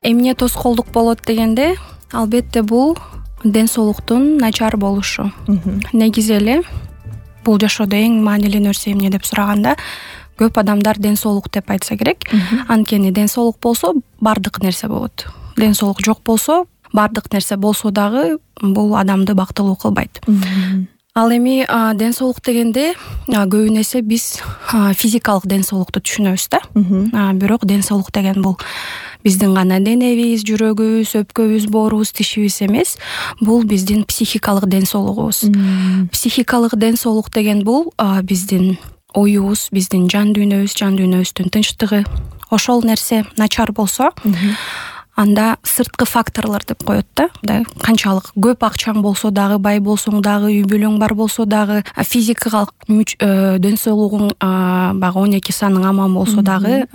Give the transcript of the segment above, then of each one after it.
Эмне тоскоолдук болот дегенде, албетте бул ден соолуктун начар болушу. Негизи эле бул жашоодо эң маанилүү нерсе эмне деп сураганда, көп адамдар ден соолук деп айтса керек. Анткени ден соолук болсо бардык нерсе болот. Ден соолук жок болсо бардык нерсе болсо дагы бул адамды бактылуу кылбайт. Ал эми ден соолук дегенде көбүн эсе биз физикалык ден соолукту түшүнөбүз да. Бирок ден соолук деген бул биздин гана денебиз, жүрөгүбүз, өпкөбүз, боорубуз, тишибиз эмес. Бул биздин психикалык ден соолугубуз. Психикалык ден соолук деген бул биздин оюбуз, биздин жан дүйнөбүздүн тынчтыгы. Ошол нерсе начар болсо, анда сырткы факторлор деп коет да. Канчалык көп акчаң болсо дагы, бай болсоң дагы, үй бүлөң бар болсо дагы, физикалык ден соолугуң баягы 12 саның аман болсо дагы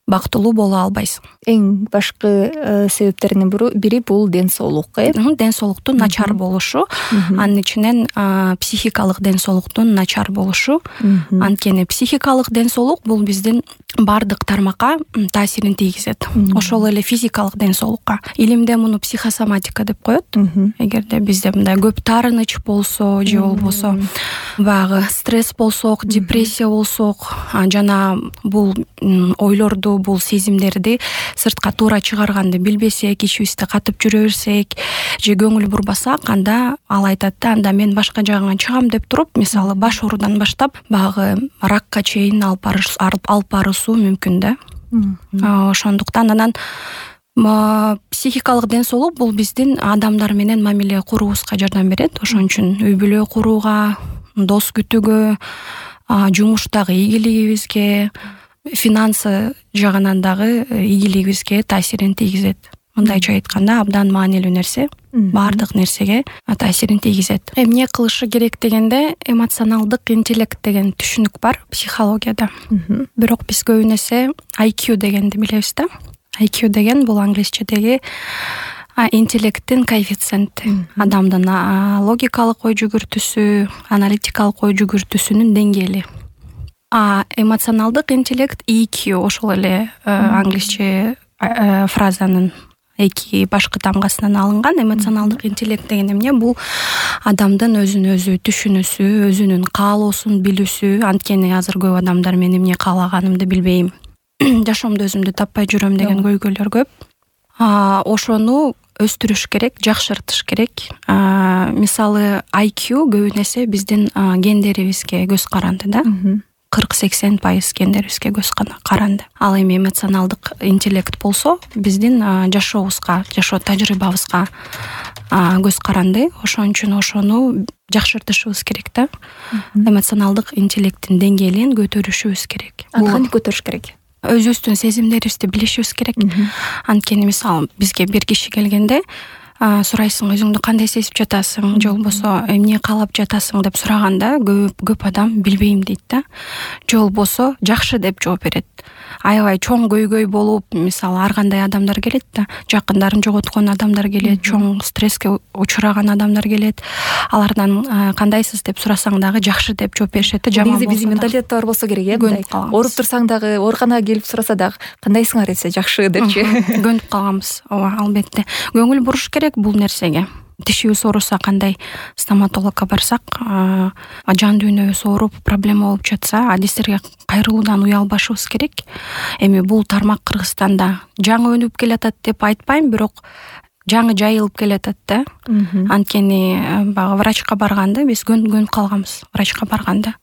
бактылуу боло албайсың. Эң башкы себептеринин бири бул ден соолук. Ден соолуктун начар болушу, анын ичинен психикалык ден соолуктун начар болушу. Анткени психикалык ден соолук бул биздин бардык тармакка таасирин тийгизет. Ошол эле физикалык ден соолукка. Илимде муну психосоматика деп коет. Эгерде бизде мындай көп таарыныч болсо, же болбосо баягы стресс болсок, депрессия болсок, жана бул ойлорду, бул сезимдерди сыртка туура чыгарганды билбесек, ичибизде катып жүрө берсек, же көңүл бурбасак, анда ал айтат да, анда мен башка жагыңа чыгам деп туруп, мисалы баш оорудан баштап баягы ракка чейин алып баруусу мүмкүн да. Ошондуктан анан психикалык ден соолук бул биздин адамдар менен мамиле куруубузга жардам берет. Ошон үчүн үй бүлө курууга, дос күтүүгө, жумуштагы ийгилигибизге, финансы жагынан дагы ийгилигибизге таасирин тийгизет. Мындайча айтканда, абдан маанилүү нерсе, баардык нерсеге таасирин тийгизет. Эмне кылышы керек дегенде, эмоционалдык интеллект деген түшүнүк бар психологияда. Бирок биз көбүн эсе IQ дегенди билебиз да. IQ деген бул англисчедеги интеллекттин коэффициенти. Адамдын логикалык ой жүгүртүүсү, аналитикалык ой жүгүртүүсүнүн деңгээли. Эмоционалдык интеллект EQ ошол эле англисче фразанын эки башкы тамгасынан алынган. Эмоционалдык интеллект деген эмне? Бул адамдын өзүн өзү түшүнүүсү, өзүнүн каалоосун билүүсү. Анткени азыр көп адамдар мен эмне каалаганымды билбейм, жашоомдо өзүмдү таппай жүрөм деген көйгөйлөр көп. Ошону өстүрүш керек, жакшыртыш керек. Мисалы IQ көбүн эсе биздин гендерибизге көз каранды да. 40-80% гендерибизге көз каранды. Ал эми эмоционалдык интеллект болсо биздин жашообузга, жашоо тажрыйбабызга көз каранды. Ошон үчүн ошону жакшыртышыбыз керек да. Эмоционалдык интеллекттин деңгээлин көтөрүшүбүз керек. Кантип көтөрүш керек? Өзүбүздүн сезимдерибизди билишибиз керек. Анткени мисалы бизге бир киши келгенде сурайсың, өзүңдү кандай сезип жатасың, же болбосо эмне каалап жатасың деп сураганда көп адам билбейм дейт да. Же болбосо жакшы деп жооп берет. Аябай чоң көйгөй болуп, мисалы ар кандай адамдар келет да, жакындарын жоготкон адамдар келет, чоң стресске учураган адамдар келет. Алардан кандайсыз деп сурасаң дагы жакшы деп жооп беришет да. Негизи биздин менталитетте бар болсо керек, ооруп турсаң дагы, ооруканага келип сураса дагы кандайсыңар десе жакшы депчи. Көнүп калганбыз. Ооба, албетте. Көңүл буруш керек бул нерсеге. Тишибиз ооруса, кандай стоматологко барсак, жан дүйнөбүз ооруп, проблема болуп жатса, адистерге кайрылуудан уялбашыбыз керек. Эми бул тармак Кыргызстанда жаңы өнүп келатат деп айтпайм, бирок жаңы жайылып келатат да. Анткени врачка барганда биз көнүп калганбыз. Врачка барганда,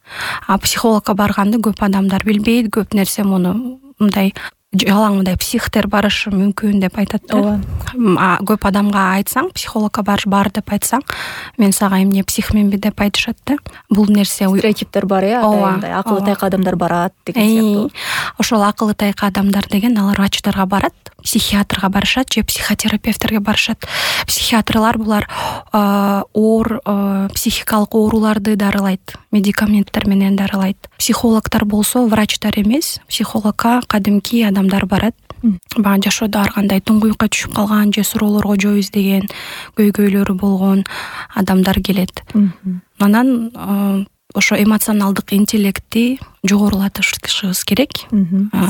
психологко барганда көп адамдар билбейт, көп нерсе муну мындай жалаң мындай психтер барышы мүмкүн деп айтат да. Көп адамга айтсаң, психологко бар деп айтсаң, мен сага эмне психменби деп айтышат да. Бул нерсе стереотиптер бар, мындай акылы тайкы адамдар барат деген сыяктуу. Ошол акылы тайкы адамдар деген алар врачтарга барат, психиатрга барышат же психотерапевттерге барышат. Психиатрлар булар психикалык ооруларды дарылайт, медикаменттер менен дарылайт. Психологдор болсо врачтар эмес, психологко кадимки адамдар барат. Жашоодо ар кандай туңгуюкка түшүп калган же суроолорго жооп издеген, көйгөйлөрү болгон адамдар келет. Анан ошо эмоционалдык интеллектти жогорулатышыбыз керек.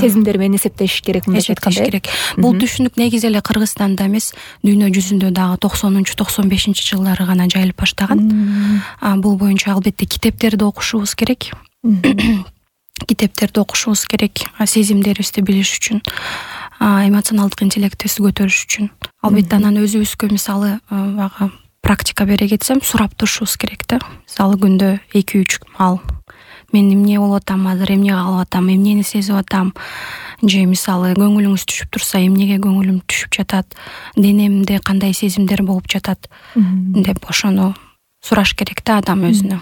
Сезимдер менен эсептеш керек, мындайча айтканда. Бул түшүнүк негизи эле Кыргызстанда эмес, дүйнө жүзүндө дагы 90-95 жылдары гана жайылып баштаган. Бул боюнча албетте китептерди окушубуз керек. Китептерди окушубуз керек, сезимдерибизди билиш үчүн, эмоционалдык интеллектибизди көтөрүш үчүн. Албетте анан өзүбүзгө мисалы бага практика бере кетсем, сурап турушубуз керек да. Мисалы күндө 2-3 маал мен эмне болуп атам азыр, эмне калып атам, эмнени сезип атам, же мисалы көңүлүңүз түшүп турса, эмнеге көңүлүм түшүп жатат, денемде кандай сезимдер болуп жатат деп ошону сураш керек да адам өзүнө.